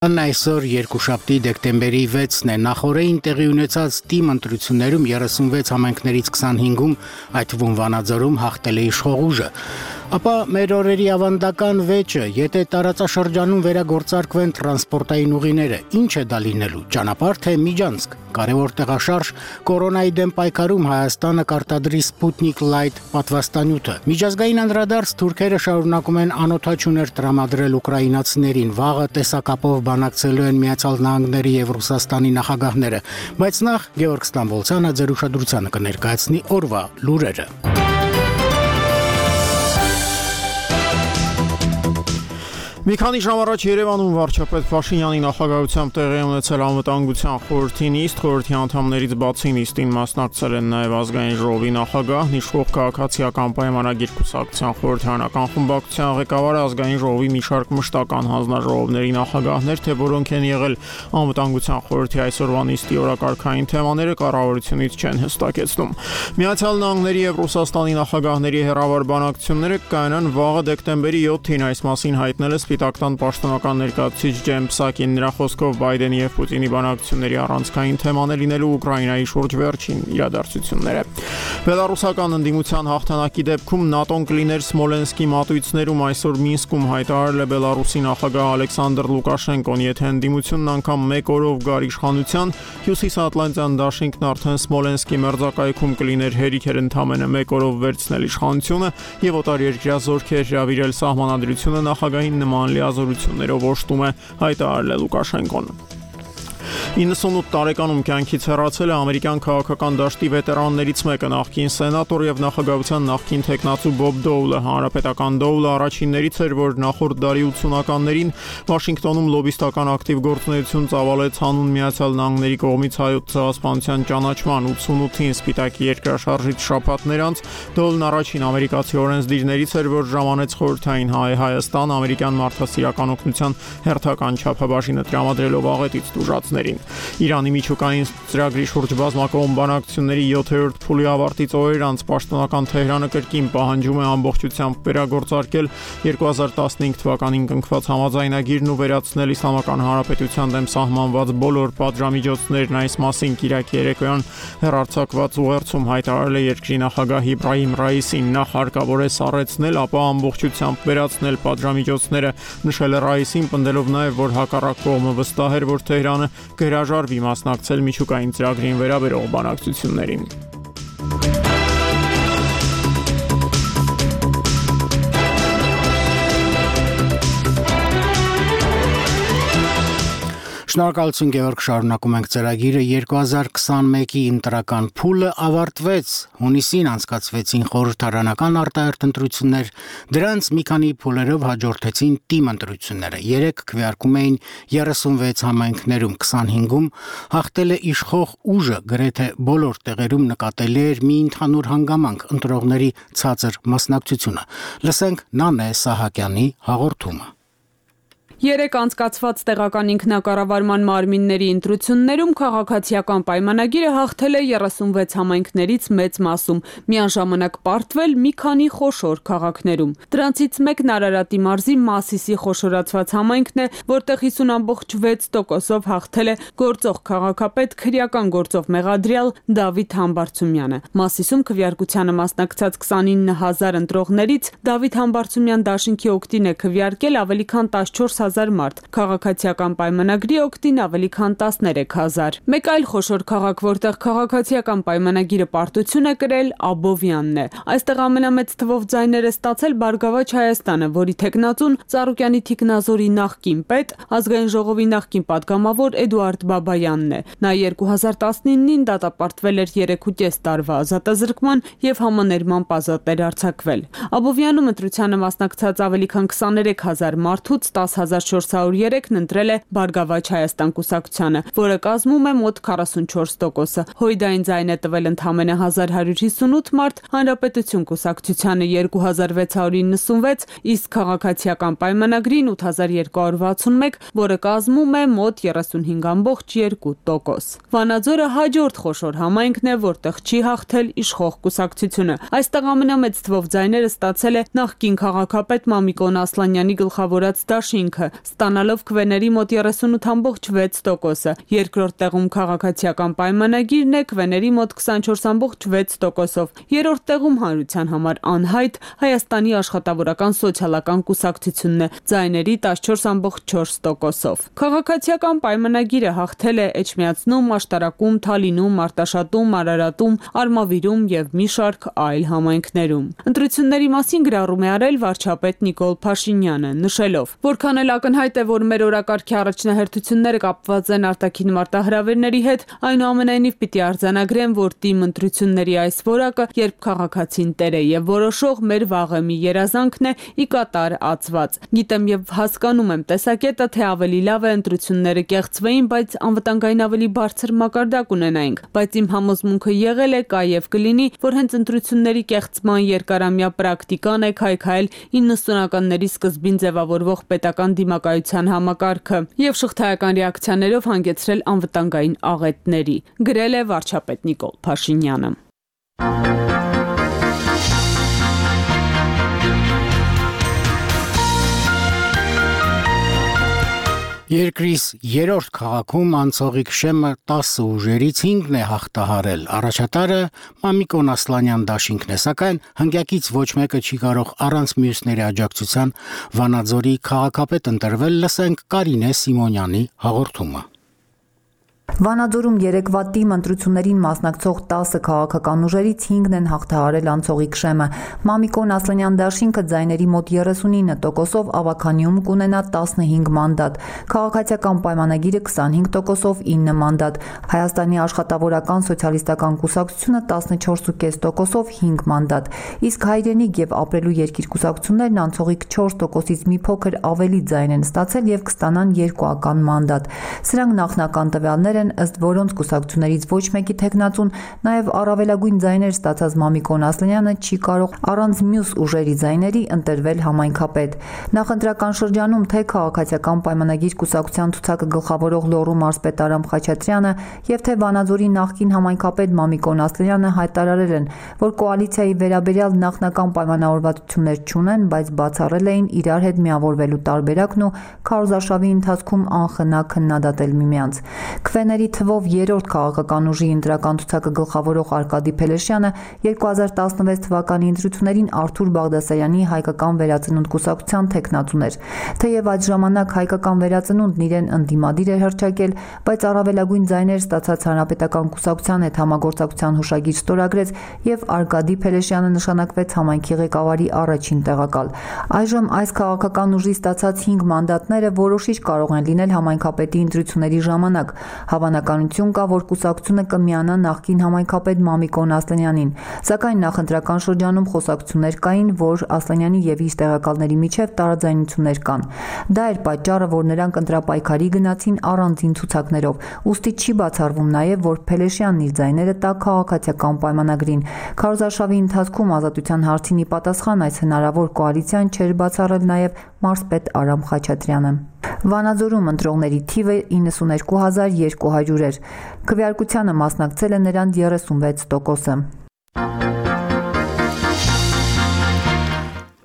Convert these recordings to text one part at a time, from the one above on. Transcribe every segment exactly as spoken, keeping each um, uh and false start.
Այսօր երկուշաբթի դեկտեմբերի վեցն է, նախօրեին տեղի ունեցած թիմ ընտրություններում երեսունվեց համայնքներից քսանհինգում, այդ թվում Վանաձորում հաղթել է իշխող ուժը։ Ապա մեր օրերի ավանդական վեճը, եթե տարածաշրջանում վերագործարկվեն տրանսպորտային ուղիները, ինչ է դա լինելու, ճանապարհ թե միջանցք։ Կարևոր տեղաշարժ կորոնայի դեմ պայքարում Հայաստանը կարտադրի Sputnik Light պատվաստանյութը։ Միջազգային անդրադարձ թուրքերը շարունակում են անօթաչուներ տրամադրել ուկրաինացիներին, վաղը տեսակապով բանակցելու են Միացյալ Նահանգների եւ Ռուսաստանի նախագահները, բայց նախ Գեորգ Ստամբոլցյանը ձեր ուշադրությանը կներկայացնի օրվա լուրերը։ Մի քանի ժամ առաջ Երևանում վարչապետ Փաշինյանի նախագահությամբ տեղի ունեցել անվտանգության խորհրդի նիստ, խորհրդի անդամներից բացի նիստին մասնակցել են նաև ազգային ժողովի նախագահ, իշխող քաղաքացիական պայմանագիր կուսակցության խորհրդարանական խմբակցության ղեկավարը, ազգային ժողովի մի շարք մշտական հանձնաժողովների նախագահներ, թե որոնք են եղել անվտանգության խորհրդի այսօրվա նիստի օրակարգային թեմաները կառավարությունից չեն հստակեցնում։ Միացյալ Նահանգների եւ Ռուսաստանի նախագահների հերավար բանակցությունները կայանան վաղը դեկտեմբերի յոթին, այս մասին հայտնել է Սպիտակտան պաշտոնական ներկայացուցիչ Ջեյմ Պսակին, նրա խոսքով Բայդենի եւ Պուտինի բանակցությունների առանցքային թեման է լինելու Ուկրաինայի շուրջ վերջին իրադարձությունները։ Բելարուսական ընդդիմության հաղթանակի դեպքում ՆԱՏՕ-ն կլիներ Սմոլենսկի մատույցներում, այսօր Մինսկում հայտարարել է Բելարուսի նախագահ Ալեքսանդր Լուկաշենկոն, եթե ընդդիմությունն անգամ մեկ օրով գար իշխանության, Հյուսիսատլանտյան դաշինքն արդեն Սմոլենսկի մերձակայքում կլիներ հերիք էր ընդամենը մեկ օրով վերցնել իշխանությունը եւ օտարերկրյա զորքեր հրավիրել սահմանադրությունը նախագահին նման լիազորություններով օժտում է հայտարարել է Լուկաշենկոն։ իննսունութ տարեկանում կյանքից հեռացել է ամերիկյան քաղաքական դաշտի վետերաններից մեկը, նախկին սենատոր եւ նախագահության նախկին թեկնածու Բոբ Դոուլը։ Հանրապետական Դոուլը առաջիններից էր, որ նախորդ դարի ութսունականներին Վաշինգտոնում լոբիստական ակտիվ գործունեություն ծավալեց հանուն Միացյալ Նահանգների կողմից հայոց ցեղասպանության ճանաչման։ ութսունութին Սպիտակի երկրաշարժից շաբաթներ անց Դոուլն առաջին ամերիկացի օրենսդիրներից էր, որ ժամանեց խորհրդային Հայ Հայաստան ամերիկյան մարդասիրական օգնության հերթական չափաբաժինը տրամադրելով աղետից տուժածներին։ Իրանի միջուկային ծրագրի շուրջ բազմակողմ բանակցությունների յոթերորդ փուլի ավարտից օրեր անց պաշտոնական Թեհրանը կրկին պահանջում է ամբողջությամբ վերագործարկել երկու հազար տասնհինգ թվականին կնքված համաձայնագիրն ու վերացնել Իսլամական Հանրապետության դեմ սահմանված բոլոր պատժամիջոցներն։ Այս մասին Կիրակի երեկոյան հեռարձակված ուղերձում հայտարարել է երկրի նախագահ Իբրահիմ Ռայիսին, նախ հարկավոր է սառեցնել, ապա ամբողջությամբ վերացնել պատժամիջոցները, նշել է Ռայիսին, պնդելով նաև, որ հակառակ կողմը վստահ էր, որ Թեհրանը կհրաժարվի մասնակցել միջուկային ծրագրին վերաբերող բանակցություններին։ Շնորհակալություն Գեորգ, շարունակում ենք ծրագիրը։ երկու հազար քսանմեկի ընտրական փուլը ավարտվեց, հունիսին անցկացվեցին խորհրդարանական արտահերթ ընտրություններ, դրանց մի քանի փուլերով հաջորդեցին թիմ ընտրությունները, երեք քվեարկում էին երեսունվեց համայնքներում, քսանհինգում հաղթել է իշխող ուժը, գրեթե բոլոր տեղերում նկատելի էր մի ընդհանուր հանգամանք՝ ընտրողների ցածր մասնակցությունը։ Լսենք Նանե Սահակյանի հաղորդումը։ Երեք անցկացված տեղական ինքնակառավարման մարմինների ընտրություններում քաղաքացիական պայմանագիրը հաղթել է երեսունվեց համայնքներից մեծ մասում, միաժամանակ պարտվել մի քանի խոշոր քաղաքներում։ Դրանցից մեկն Արարատի մարզի Մասիսի խոշորացված համայնքն է, որտեղ հիսուն ամբողջ վեց տոկոսով հաղթել է գործող քաղաքապետ, քրեական գործով մեղադրյալ Դավիթ Համբարձումյանը։ Մասիսում քվեարկությանը մասնակցած քսանինը հազար ընտրողներից Դավիթ Համբարձումյան դաշինքի օգտին է քվեարկել ավելի քան տասնչորս հազար մարդ, քաղաքացիական պայմանագրի օգտին ավելի քան տասներեք հազար։ Մեկ այլ խոշոր քաղաք, որտեղ քաղաքացիական պայմանագիրը պարտություն է կրել, Աբովյանն է։ Այստեղ ամենամեծ թվով ձայներ է ստացել Բարգավաճ Հայաստանը, որի թեկնածուն Ծառուկյանի Թիկնազորի նախկին պետ, ազգային ժողովի նախկին պատգամավոր Էդուարդ Բաբայանն է։ Նա երկու հազար տասնինին դատապարտվել էր երեքուկես տարվա ազատազրկման եւ համաներման ազատ էր արձակվել։ Աբովյանում ընտրությանը մասնակցած ավելի քան քսաներեք հազար մարդուց տասը հազար չորս հարյուր երեքն ընտրել է Բարգավաճ Հայաստան կուսակցությանը, որը կազմում է մոտ քառասունչորս տոկոսը։ Հույդային ձայն է տվել ընդամենը հազար հարյուր հիսունութ մարդ, Հանրապետություն կուսակցությանը երկու հազար վեց հարյուր իննսունվեց, իսկ քաղաքացիական պայմանագրին ութ հազար երկու հարյուր վաթսունմեկ, որը կազմում է մոտ երեսունհինգ ամբողջ երկու տոկոս։ Վանաձորը հաջորդ խոշոր համայնքն է, որտեղ չի հաղթել իշխող կուսակցությունը։ Այստեղ ամենամեծ թվով ձայները ստացել է նախկին քաղաքապետ Մամիկոն Ասլանյանի գլխավորած դաշինքը, տասնութ, ստանալով քվեների մոտ երեսունութ ամբողջ վեց տոկոսը։ Երկրորդ տեղում քաղաքացիական պայմանագիրն է քվեների մոտ քսանչորս ամբողջ վեց տոկոսով։ Երրորդ տեղում հանրության համար անհայտ Հայաստանի աշխատավորական սոցիալական կուսակցությունն է ձայների տասնչորս ամբողջ չորս տոկոսով։ Քաղաքացիական պայմանագիրը հաղթել է Էջմիածնում, Աշտարակում, Թալինում, Արտաշատում, Արարատում, Արմավիրում եւ մի շարք այլ համայնքներում։ Ընտրությունների մասին գրառում է արել վարչապետ Նիկոլ Փաշինյանը, նշելով, որքան էլ ակնհայտ է, որ մեր օրակարգի առաջնահերթությունները կապված են արտաքին մարտահրավերների հետ, այնուամենայնիվ պիտի արձանագրեն, որ թիմ ընտրությունների այս որակը, երբ քաղաքացին տեր է եւ որոշող, մեր վաղեմի երազանքն է ի կատար ածված։ Գիտեմ եւ հասկանում եմ տեսակետը, թե ավելի լավ է ընտրությունները կեղծվեին, բայց անվտանգային ավելի բարձր մակարդակ ունենայինք, բայց իմ համոզմունքը եղել է, կա եւ կլինի, որ հենց ընտրությունների կեղծման երկարամյա պրակտիկան է քայքայել իննսունականների սկզբին ձևավորվող պետական դիմակայության համակարգը եւ շղթայական ռեակցիաներով հանգեցրել անվտանգային աղետների, գրել է վարչապետ Նիկոլ Փաշինյանը։ Երկրիս երրորդ քաղաքում անցողիկ շեմը տասը ուժերից հինգն է հաղթահարել։ Առաջատարը Մամիկոն Ասլանյան դաշինքն է, սակայն հնգյակից ոչ մեկը չի կարող առանց մյուսների աջակցության Վանաձորի քաղաքապետ ընտրվել, լսենք Կարինե Սիմոնյանի հաղորդումը։ Վանաձորում երեկվա թիմ ընտրություններին մասնակցող տասը քաղաքական ուժերից հինգն են հաղթահարել անցողիկ շեմը։ Մամիկոն Ասլանյան դաշինքը ձայների մոտ երեսունինը տոկոսով ավականիում կունենա տասնհինգ մանդատ, քաղաքացիական պայմանագիրը քսանհինգ տոկոսով ինը մանդատ, Հայաստանի աշխատավորական սոցիալիստական կուսակցությունը տասնչորս ու կես տոկոսով հինգ մանդատ, իսկ Հայրենիք եւ Ապրելու երկիր կուսակցություններն անցողիկ չորս տոկոսից մի փոքր ավելի ձայն են ստացել եւ կստանան երկուական մանդատ։ Սրանք նախնական տվյալներ են, ըստ որոնց կուսակցություններից ոչ մեկի թեկնածուն, նաև առավելագույն ձայներ ստացած Մամիկոն Ասլանյանը չի կարող առանց մյուս ուժերի ձայների ընտրվել համայնքապետ։ Նախընտրական շրջանում թե քաղաքացիական պայմանագիր կուսակցության ցուցակը գլխավորող Լոռու մարզպետ Արամ Խաչատրյանը եւ թե Վանաձորի նախկին համայնքապետ Մամիկոն Ասլանյանը հայտարարել են, որ կոալիցիայի վերաբերյալ նախնական պայմանավորվածություններ չունեն, բայց բացառել էին իրար հետ միավորվելու տարբերակն ու քարոզարշավի ընթացքում անխնա քննադատել միմյանց։ Քվեների թվով երրորդ քաղաքական ուժի ընտրական ցուցակը գլխավորող Արկադի Փելեշյանը երկու հազար տասնվեց թվականի ընտրություններին Արթուր Բաղդասարյանի հայկական վերածնունդ կուսակցության թեկնածուն էր։ Թեև այդ ժամանակ հայկական վերածնունդն իրեն ընդդիմադիր էր հռչակել, բայց առավելագույն ձայներ ստացած հանրապետական կուսակցության հետ համագործակցության հուշագիր ստորագրեց եւ Արկադի Փելեշյանը նշանակվեց համայնքի ղեկավարի առաջին տեղակալ։ Այժմ այս քաղաքական ուժի ստացած հինգ մանդատները որոշիչ կարող են լինել համայնքապետի ընտրությունների ժամանակ։ Հավանականություն կա, որ կուսակցությունը կմիանա նախկին համայնքապետ Մամիկոն Ասլանյանին, սակայն նախընտրական շրջանում խոսակցություններ կային, որ Ասլանյանի եւ իր տեղակալների միջև տարաձայնություններ կան։ Դա էր պատճառը, որ նրանք ընտրապայքարի գնացին առանձին ցուցակներով, ուստի չի բացառվում նաեւ, որ Փելեշյանն իր ձայները տա քաղաքացիական պայմանագրին։ Քարոզարշավի ընթացքում ազատության հարցին ի պատասխան այս հնարավոր կոալիցիան չէր բացառել նաեւ մարզպետ Արամ Խաչատրյանը։ Վանաձորում ընտրողների թիվը իննսուներկու հազար երկու հարյուր էր։ Քվեարկությանը մասնակցել է նրանց երեսունվեց տոկոսը։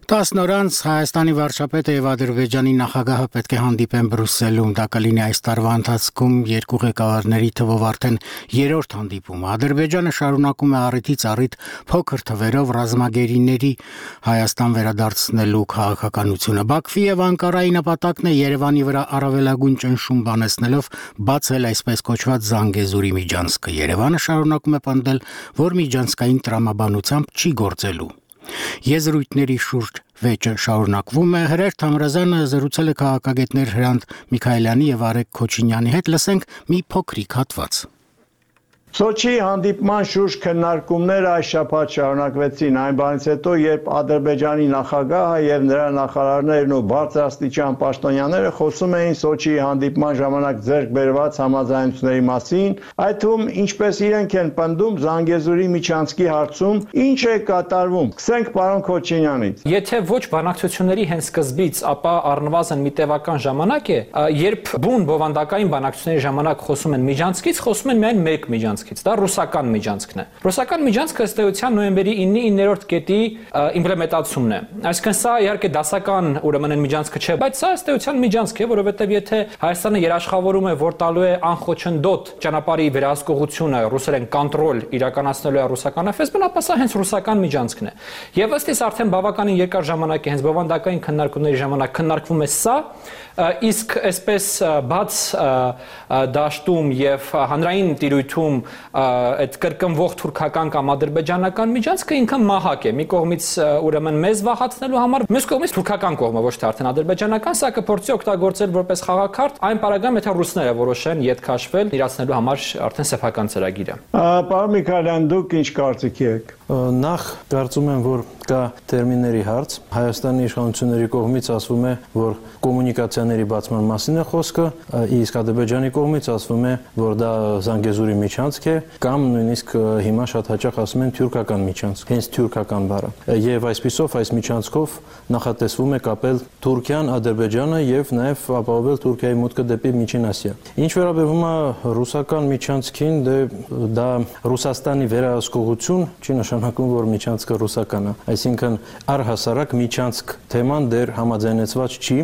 տասն օր անց Հայաստանի վարչապետը եւ Ադրբեջանի նախագահը պետք է հանդիպեն Բրյուսելում։ Դա կլինի այս տարվա ընթացքում երկու ղեկավարների թվով արդեն երրորդ հանդիպումը։ Ադրբեջանը շարունակում է առիթից առիթ փոքր թվերով ռազմագերիների Հայաստան վերադարձնելու քաղաքականությունը։ Բաքվի եւ Անկարայի նպատակն է Երևանի վրա առավելագույն ճնշում բանեցնելով բացել այսպես կոչված Զանգեզուրի միջանցքը։ Երևանը շարունակում է պնդել, որ միջանցքային տրամաբանությամբ չի գործելու։ Եզրույթների շուրջ վեճը շարունակվում է։ Հրեր Թամրազյանը զրուցել է քաղաքագետներ Հրանտ Միքայելյանի եւ Արեգ Քոչինյանի հետ, լսենք մի փոքրիկ հատված։ Սոչի հանդիպման շուրջ քննարկումները այս շաբաթ շարունակվեցին այն բանից հետո, երբ Ադրբեջանի նախագահը եւ նրա նախարարներն ու բարձրաստիճան պաշտոնյաները խոսում էին Սոչի հանդիպման ժամանակ ձեռք բերված համաձայնությունների մասին, այդ թվում ինչպես իրենք են պնդում Զանգեզուրի միջանցքի հարցում ինչ է կատարվում։ Սկսենք պարոն Քոչինյանից։ Եթե ոչ բանակցությունների հենց սկզբից, ապա առնվազն մի տևական ժամանակ է, երբ բուն բովանդակային բանակցությունների ժամանակ խոսում են միջանցքից, խոսում են միայն մեկ միջանցք միջանցքից, դա ռուսական միջանցքն է։ Ռուսական միջանցքը ըստ էության նոյեմբերի ինը-իններորդ կետի իմպլեմենտացումն է։ Այսինքն սա իհարկե դասական ուրեմն այն միջանցքը չէ, բայց սա ըստ էության միջանցք է, որովհետև եթե Հայաստանը երաշխավորում է, որ տալու է անխոչնդոտ ճանապարհի վերահսկողությունը, ռուսերեն կոնտրոլ իրականացնելու է ռուսական էֆ էս բի-ն, ապա սա հենց ռուսական միջանցքն է։ Եվ ըստ իս արդեն բավականին երկար ժամանակ է, հենց բովանդակային քննարկումների ժամանակ քննարկվում է սա, իսկ այսպես բաց դաշտում եւ հանրային տիրույթում այդ կրկնվող թուրքական կամ ադրբեջանական միջանցքը ինքը մահակ է։ Մի կողմից ուրեմն մեզ վախացնելու համար, մյուս կողմից թուրքական կողմը, ոչ թե արդեն ադրբեջանական, սա կփորձի օգտագործել որպես խաղաքարտ այն պարագայում, եթե ռուսները որոշեն ետ քաշվել իրացնելու համար արդեն սեփական ծրագիրը։ Պարոն Միքայելյան, դուք ինչ կարծիք եք։ Նախ կարծում եմ, որ կա տերմինների հարց։ Հայաստանի իշխանությունների կողմից ասվում է, որ կոմունիկացիաների բացման մասին է խոսքը, իսկ Ադրբեջանի կողմից ասվում է, որ դա Զանգեզուրի միջանցք է, կամ նույնիսկ հիմա շատ հաճախ ասում են թյուրքական միջանցք, հենց թյուրքական բառը։ Եվ այսպիսով այս միջանցքով նախատեսվում է կապել Թուրքիան, Ադրբեջանը եւ նաեւ ապահովել Թուրքիայի մուտքը դեպի Միջին Ասիա։ Ինչ վերաբերում է ռուսական միջանցքին, դե դա Ռուսաստանի վերահսկողություն չի նշանակում, որ միջանցքը ռուսական է։ Այսինքն առհասարակ միջանցք թեման դեռ համաձայնեցված չի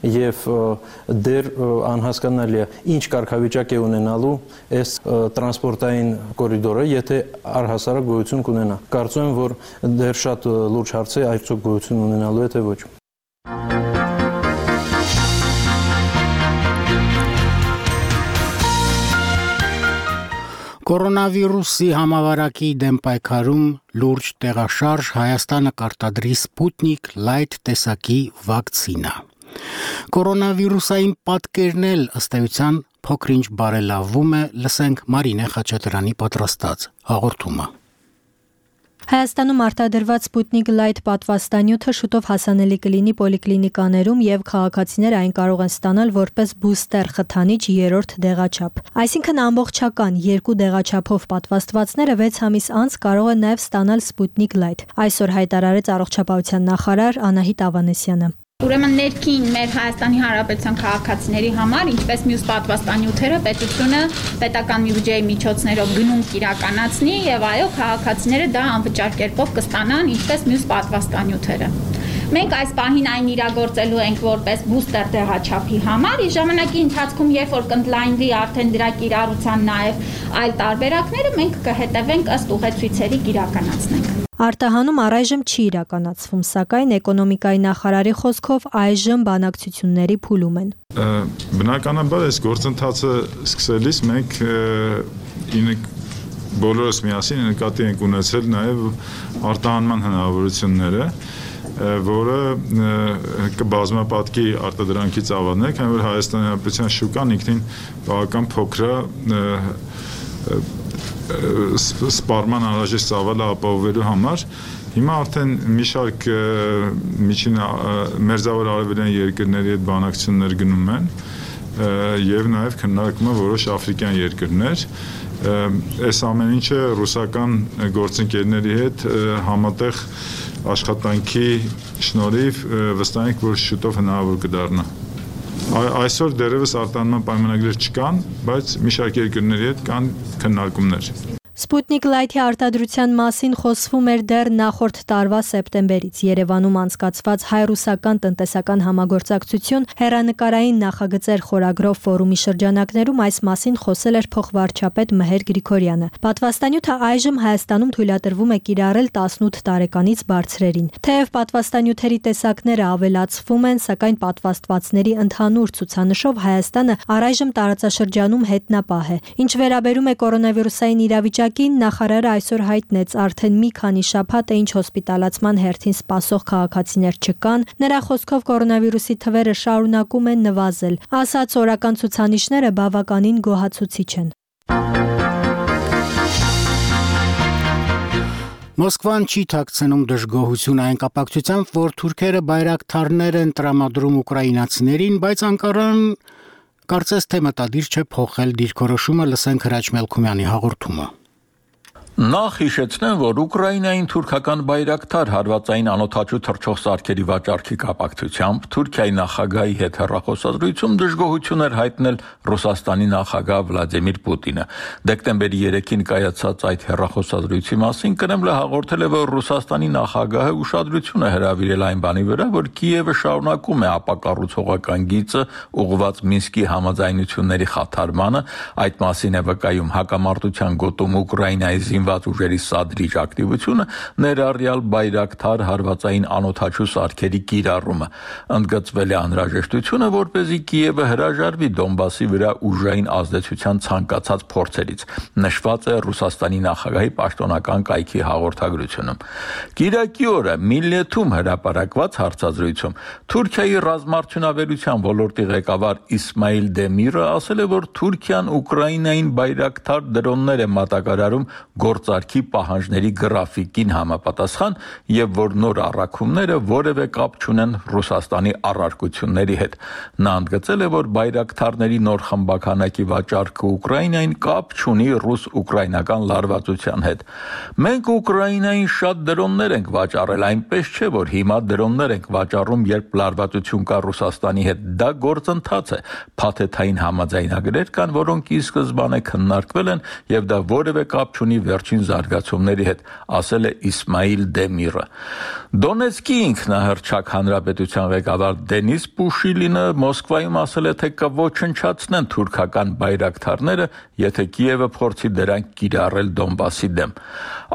եւ դեռ անհասկանալի է ինչ կարգավիճակ է ունենալու այս տրանսպորտային կորիդորը, եթե առհասարակ գոյություն կունենա։ Կարծում եմ, որ դեռ շատ լուրջ հարց է այսօր գոյություն ունենալու է թե ոչ։ Կորոնավիրուսի համավարակի դեմ պայքարում լուրջ տեղաշարժ Հայաստանը կարտադրի Sputnik Light տեսակի վակցինա։ Կորոնավիրուսային պատկերն էլ ըստ էության փոքր-ինչ բարելավվում է, լսենք Մարինե Խաչատրյանի պատրաստած հաղորդումը։ Հայաստանում արտադրված Sputnik Light պատվաստանյութը շուտով հասանելի կլինի պոլիկլինիկաներում եւ քաղաքացիները այն կարող են ստանալ որպես բուստեր խթանիչ երրորդ դեղաչափ։ Այսինքն ամբողջական երկու դեղաչափով պատվաստվածները վեց ամիս անց կարող են նաեւ ստանալ Sputnik Light։ Այսօր հայտարարեց առողջապահության նախարար Անահիտ Ավանեսյանը։ Ուրեմն ներքին մեր Հայաստանի Հանրապետության քաղաքացիների համար, ինչպես մյուս պատվաստանյութերը, պետությունը պետական բյուջեի միջոցներով գնումք իրականացնի եւ այո, քաղաքացիները դա անվճար կերպով կստանան, ինչպես մյուս պատվաստանյութերը։ Մենք այս պահին այն իրագործելու ենք որպես բուստեր դեղաչափի համար, իսկ ժամանակի ընթացքում, երբ որ կընդլայնվի արդեն դրա կիրառության նաեւ այլ տարբերակները, մենք կհետևենք ըստ ուղեցույցերի իրականացնենք։ Արտահանում առայժմ չի իրականացվում, սակայն էկոնոմիկայի նախարարի խոսքով այժմ բանակցությունների փուլում են։ Բնականաբար այս գործընթացը սկսելիս մենք բոլորս միասին նկատի ենք ունեցել նաև արտահանման հնարավորությունները, որը կբազմապատկի արտադրանքի ծավալներ, քանի որ Հայաստանի Հանրապետության շուկան ինքնին բավական փոքր է սպառման անհրաժեշտ ծավալը ապահովելու համար։ Հիմա արդեն մի շարք միջին մերձավոր արևելյան երկրների հետ բանակցություններ գնում են եւ նաեւ քննարկում են որոշ աֆրիկյան երկրներ։ Այս ամեն ինչը ռուսական գործընկերների հետ համատեղ աշխատանքի շնորհիվ վստահ ենք, որ շուտով հնարավոր կդառնա։ Այսօր դեռևս արտահանման պայմանագրեր չկան, բայց մի շարք երկրների հետ կան քննարկումներ։ Sputnik Light-ի արտադրության մասին խոսվում էր դեռ նախորդ տարվա սեպտեմբերից։ Երևանում անցկացված հայ-ռուսական տնտեսական համագործակցություն հեռանկարային նախագծեր խորագրով ֆորումի շրջանակներում այս մասին խոսել էր փոխվարչապետ Մհեր Գրիգորյանը։ Պատվաստանյութը այժմ Հայաստանում թույլատրվում է կիրառել տասնութ տարեկանից բարձրերին։ Թեև պատվաստանյութերի տեսակները ավելացվում են, սակայն պատվաստվածների ընդհանուր ցուցանշով Հայաստանը առայժմ տարածաշրջանում հետնապահ է։ Ինչ վերաբերում է կորոնավիրուսային իրավիճակին, նախարարը այսօր հայտնեց արդեն մի քանի շաբաթ է ինչ հոսպիտալացման հերթին սպասող քաղաքացիներ չկան, նրա խոսքով կորոնավիրուսի թվերը շարունակում են նվազել, ասաց օրական ցուցանիշները բավականին գոհացուցիչ են։ Մոսկվան չի թաքցնում դժգոհություն այն կապակցությամբ, որ թուրքերը բայրակթարներ են տրամադրում ուկրաինացիներին, բայց Անկարան կարծես թե մտադիր չէ փոխել դիրքորոշումը, լսենք Հրաչ Մելքումյանի հաղորդումը։ Նախ հիշեցնեմ, որ Ուկրաինային թուրքական բայրակտար հարվածային անօդաչու թռչող սարքերի վաճառքի կապակցությամբ Թուրքիայի նախագահի հետ հեռախոսազրույցում դժգոհություն էր հայտնել Ռուսաստանի նախագահ Վլադիմիր Պուտինը։ Դեկտեմբերի երեքին կայացած այդ հեռախոսազրույցի մասին Կրեմլը հաղորդել է, որ Ռուսաստանի նախագահը ուշադրություն է հրավիրել այն բանի վրա, որ Կիևը շարունակում է ապակառուցողական գիծը ուղղված Մինսկի համաձայնությունների խաթարմանը, այդ մասին է վկայում հակամարտության գոտում Ուկրաինայի զինված ուժերի սադրիչ ակտիվությունը, ներառյալ բայրակտար հարվածային անօդաչու սարքերի կիրառումը։ Ընդգծվել է անհրաժեշտությունը, որպեսզի Կիևը հրաժարվի Դոնբասի վրա ուժային ազդեցության ցանկացած փորձերից, նշված է Ռուսաստանի նախագահի պաշտոնական կայքի հաղորդագրությունում։ Կիրակի օրը Միլլեթում հրապարակված հարցազրույցում Թուրքիայի ռազմարդյունաբերության ոլորտի ղեկավար Իսմայիլ Դեմիրը ասել է, որ Թուրքիան Ուկրաինային բայրակտար դրոններ է մատակարարում գործարքի պահանջների գրաֆիկին համապատասխան եւ որ նոր առաքումները որևէ կապ չունեն Ռուսաստանի առարկությունների հետ։ Նա ընդգծել է, որ բայրակտարների նոր խմբականակի վաճառքը Ուկրաինային կապ չունի ռուս-ուկրաինական լարվածության հետ։ Մենք Ուկրաինային շատ դրոններ ենք վաճառել, այնպես չէ, որ հիմա դրոններ ենք վաճառում, երբ լարվածություն կա Ռուսաստանի հետ։ Դա գործընթաց է։ Փաթեթային համաձայնագրեր կան, որոնք ի սկզբանե քննարկվել են եւ դա որևէ կապ չունի վերջին զարգացումների հետ, ասել է Իսմայիլ Դեմիրը։ Դոնեցկի ինքնահռչակ հանրապետության ղեկավար Դենիս Պուշիլինը Մոսկվայում ասել է, թե կոչնչացնեն թուրքական բայրակտարները, եթե Կիևը փորձի դրանք կիրառել Դոնբասի դեմ։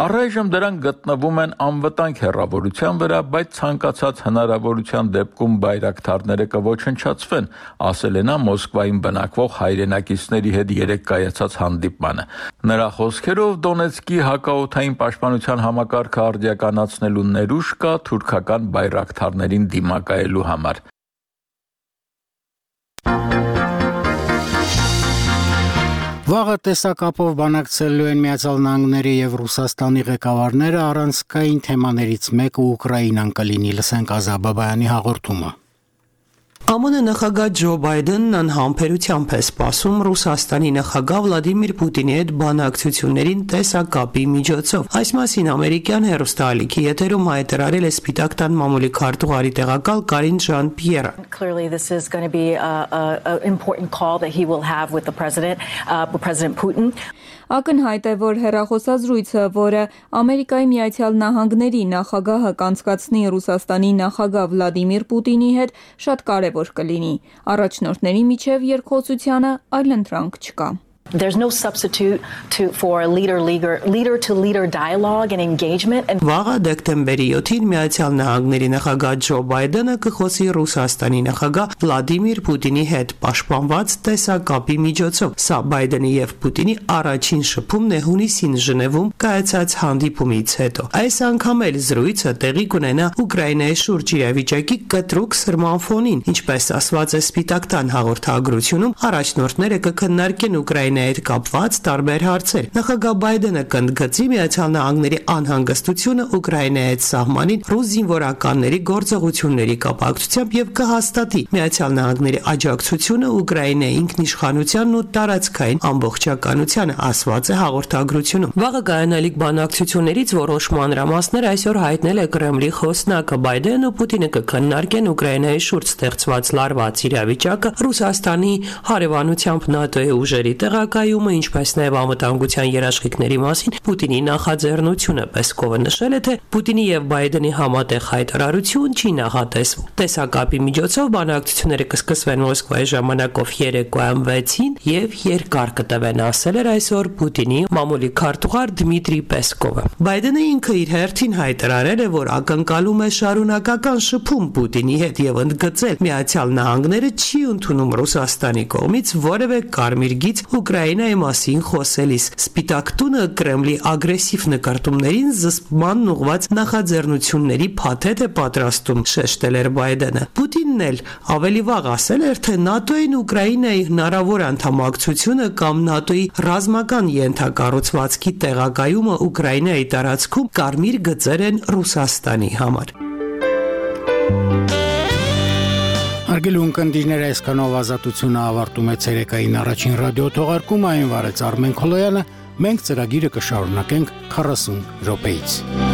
Առայժմ դրանք գտնվում են անվտանգ հեռավորության վրա, բայց ցանկացած հնարավորության դեպքում բայրակտարները կոչնչացվեն, ասել է նա Մոսկվայում բնակվող հայրենակիցների հետ երեկ կայացած հանդիպմանը։ Նրա խոսքերով Դոնեցկի հակաօդային պաշտպանության համակարգը արդիականացնելու ներուժ կա թուրքական բայրակտարներին դիմակայելու համար։ Վաղը տեսակապով բանակցելու են Միացյալ Նահանգների եւ Ռուսաստանի ղեկավարները, առանցքային թեմաներից մեկը Ուկրաինան կլինի, լսենք Ազա Բաբայանի հաղորդումը։ ԱՄՆ նախագահ Ջո Բայդենն անհամբերությամբ է սպասում Ռուսաստանի նախագահ Վլադիմիր Պուտինի հետ բանակցություններին տեսակապի միջոցով։ Այս մասին ամերիկյան հեռուստաալիքի եթերում հայտարարել է Սպիտակ տան մամուլի քարտուղարի տեղակալ Կարին Ժան-Պիերը։ Clearly this is going to be a, a, a important call that he will have with the president, uh, with President Putin. Ակնհայտ է, որ հեռախոսազրույցը, որը Ամերիկայի Միացյալ Նահանգների նախագահը կանցկացնի Ռուսաստանի նախագահ Վլադիմիր Պուտինի հետ, շատ կարևոր կլինի։ Առաջնորդների միջև երկխոսությանը այլընտրանք չկա։ There's no substitute to for a leader leader leader to leader dialogue and engagement and Վաղը դեկտեմբերի յոթին Միացյալ Նահանգների նախագահ Ջո Բայդենը կխոսի Ռուսաստանի նախագահ Վլադիմիր Պուտինի հետ պաշտպանված տեսակապի միջոցով։ Սա Բայդենի եւ Պուտինի առաջին շփումն է հունիսին Ժնևում կայացած հանդիպումից հետո։ Այս անգամ էլ զրույցը տեղի կունենա Ուկրաինայի շուրջ իրավիճակի կտրուկ սրման ֆոնին, ինչպես ասված է Սպիտակ տան հաղորդագրությունում, առաջնորդները կքննարկեն Ուկրաինայի հետ կապված տարբեր հարցեր։ Նախագահ Բայդենը կընդգծի Միացյալ Նահանգների անհանգստությունը Ուկրաինայի հետ սահմանին ռուս զինվորականների գործողությունների կապակցությամբ եւ կհաստատի Միացյալ Նահանգների աջակցությունը Ուկրաինայի ինքնիշխանությանն ու տարածքային ամբողջականությանը, ասված է հաղորդագրությունում։ Վաղը կայանալիք բանակցություններից որոշ մանրամասներ այսօր հայտնել է Կրեմլի խոսնակը։ Բայդենն ու Պուտինը կքննարկեն Ուկրաինայի շուրջ ստեղծված լարված իրավիճակը, Ռուսաստանի հարևանությամբ ՆԱՏՕ-ի ուժերի տեղակայումը, ինչպես նաև անվտանգության երաշխիքների մասին Պուտինի նախաձեռնությունը։ Պեսկովը նշել է, թե Պուտինի եւ Բայդենի համատեղ հայտարարություն չի նախատեսվում։ Տեսակապի միջոցով բանակցությունները կսկսվեն Մոսկվայի ժամանակով երեկոյան վեցին եւ երկար կտևեն, ասել էր այսօր Պուտինի մամուլի քարտուղար Դմիտրի Պեսկովը։ Բայդենը ինքը իր հերթին հայտարարել է, որ ակնկալում է շարունակական շփում Պուտինի հետ եւ ընդգծել Միացյալ Նահանգները չի ընդունում Ռուսաստանի կողմից որևէ կարմիր գիծ Ուկրաինայի մասին խոսելիս։ Սպիտակ տունը Կրեմլի ագրեսիվ նկարտումներին զսպման ուղղված նախաձեռնությունների փաթեթ է պատրաստում, շեշտել էր Բայդենը։ Պուտինն էլ ավելի վաղ ասել էր, թե ՆԱՏՕ-ին Ուկրաինայի հնարավոր անդամակցությունը կամ ՆԱՏՕ-ի ռազմական ենթակառուցվածքի տեղակայումը Ուկրաինայի տարածքում կարմիր գծեր են Ռուսաստանի համար։ Արգել ունկնդիրները այսքանով ազատությունը ավարտում է ցերեկային առաջին ռադիո թողարկումը, այն վարեց Արմեն Քոլոյանը, Մենք ծրագիրը կշարունակենք քառասուն րոպեից։